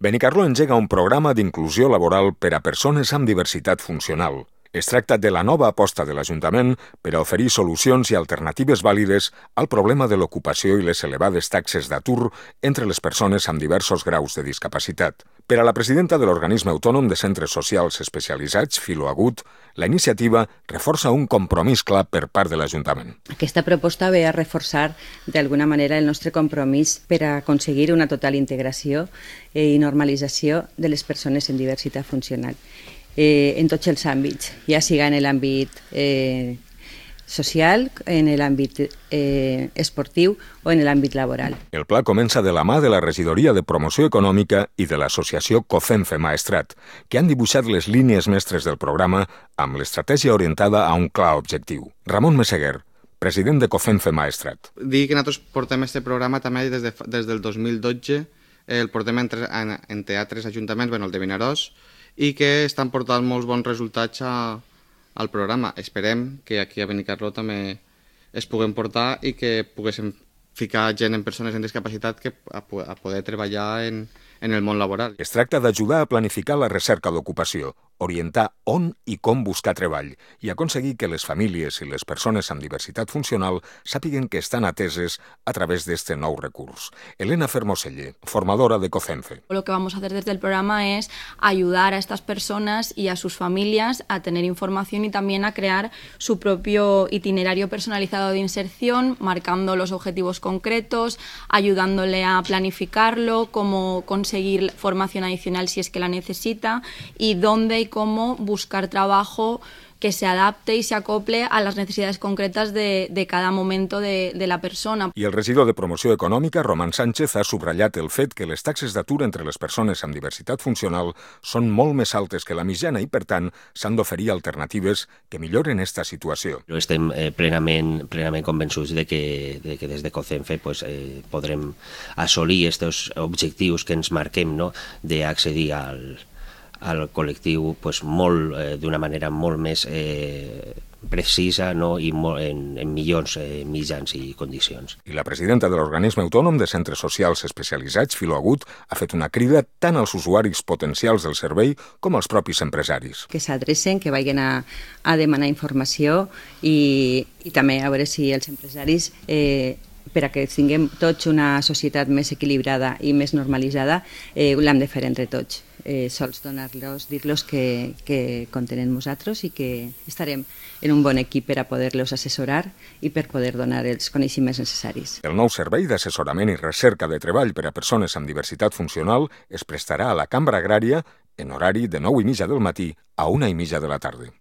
Benicarló engega un programa d'inclusió laboral per a persones amb diversitat funcional. Es tracta de la nova aposta de l'Ajuntament per a oferir solucions i alternatives vàlides al problema de l'ocupació i les elevades taxes d'atur entre les persones amb diversos graus de discapacitat. Per a la presidenta de l'Organisme Autònom de Centres Socials Especialitzats, Filo Agut, la iniciativa reforça un compromís clar per part de l'Ajuntament. Aquesta proposta ve a reforçar d'alguna manera el nostre compromís per a aconseguir una total integració i normalització de les persones amb diversitat funcional. En tots els àmbits, ja siga en l'àmbit social, en l'àmbit esportiu o en l'àmbit laboral. El pla comença de la mà de la Regidoria de Promoció Econòmica i de l'associació COFENFE Maestrat, que han dibuixat les línies mestres del programa amb l'estratègia orientada a un clar objectiu. Ramon Meseguer, president de COFENFE Maestrat. Dir que nosaltres portem aquest programa també des del 2012, el portem en teatres ajuntaments, el de Vinaròs, i que estan portant molts bons resultats al programa. Esperem que aquí a Benicarló també es puguem portar i que poguéssim ficar gent en persones amb discapacitat a poder treballar en el món laboral. Es tracta d'ajudar a planificar la recerca d'ocupació, orientar on i com buscar treball i aconseguir que les famílies i les persones amb diversitat funcional sàpiguen que estan ateses a través d'este nou recurs. Elena Fermoselle, formadora de COFENFE. Lo que vamos a hacer desde el programa es ayudar a estas personas y a sus familias a tener información y también a crear su propio itinerario personalizado de inserción, marcando los objetivos concretos, ayudándole a planificarlo, cómo conseguir formación adicional si es que la necesita y dónde y cómo buscar trabajo que se adapte y se acople a las necesidades concretas de cada momento de la persona. I el regidor de Promoció Econòmica, Román Sánchez, ha subratllat el fet que les taxes d'atur entre les persones amb diversitat funcional són molt més altes que la mitjana i, per tant, s'han d'oferir alternatives que milloren aquesta situació. Estem plenament convençuts de que des de COFENFE podrem assolir aquests objectius que ens marquem, d'accedir al col·lectiu d'una manera molt més precisa i en millors mitjans i condicions. I la presidenta de l'Organisme Autònom de Centres Socials Especialitzats, Filo Agut, ha fet una crida tant als usuaris potencials del servei com als propis empresaris. Que s'adrecen, que vagin a demanar informació i també a veure si els empresaris per a que tinguem tots una societat més equilibrada i més normalitzada, l'hem de fer entre tots. Sols dir-los que compten amb nosaltres i que estarem en un bon equip per a poder-los assessorar i per poder donar els coneixements necessaris. El nou servei d'assessorament i recerca de treball per a persones amb diversitat funcional es prestarà a la Cambra Agrària en horari de 9:30 del matí a 1:30 de la tarda.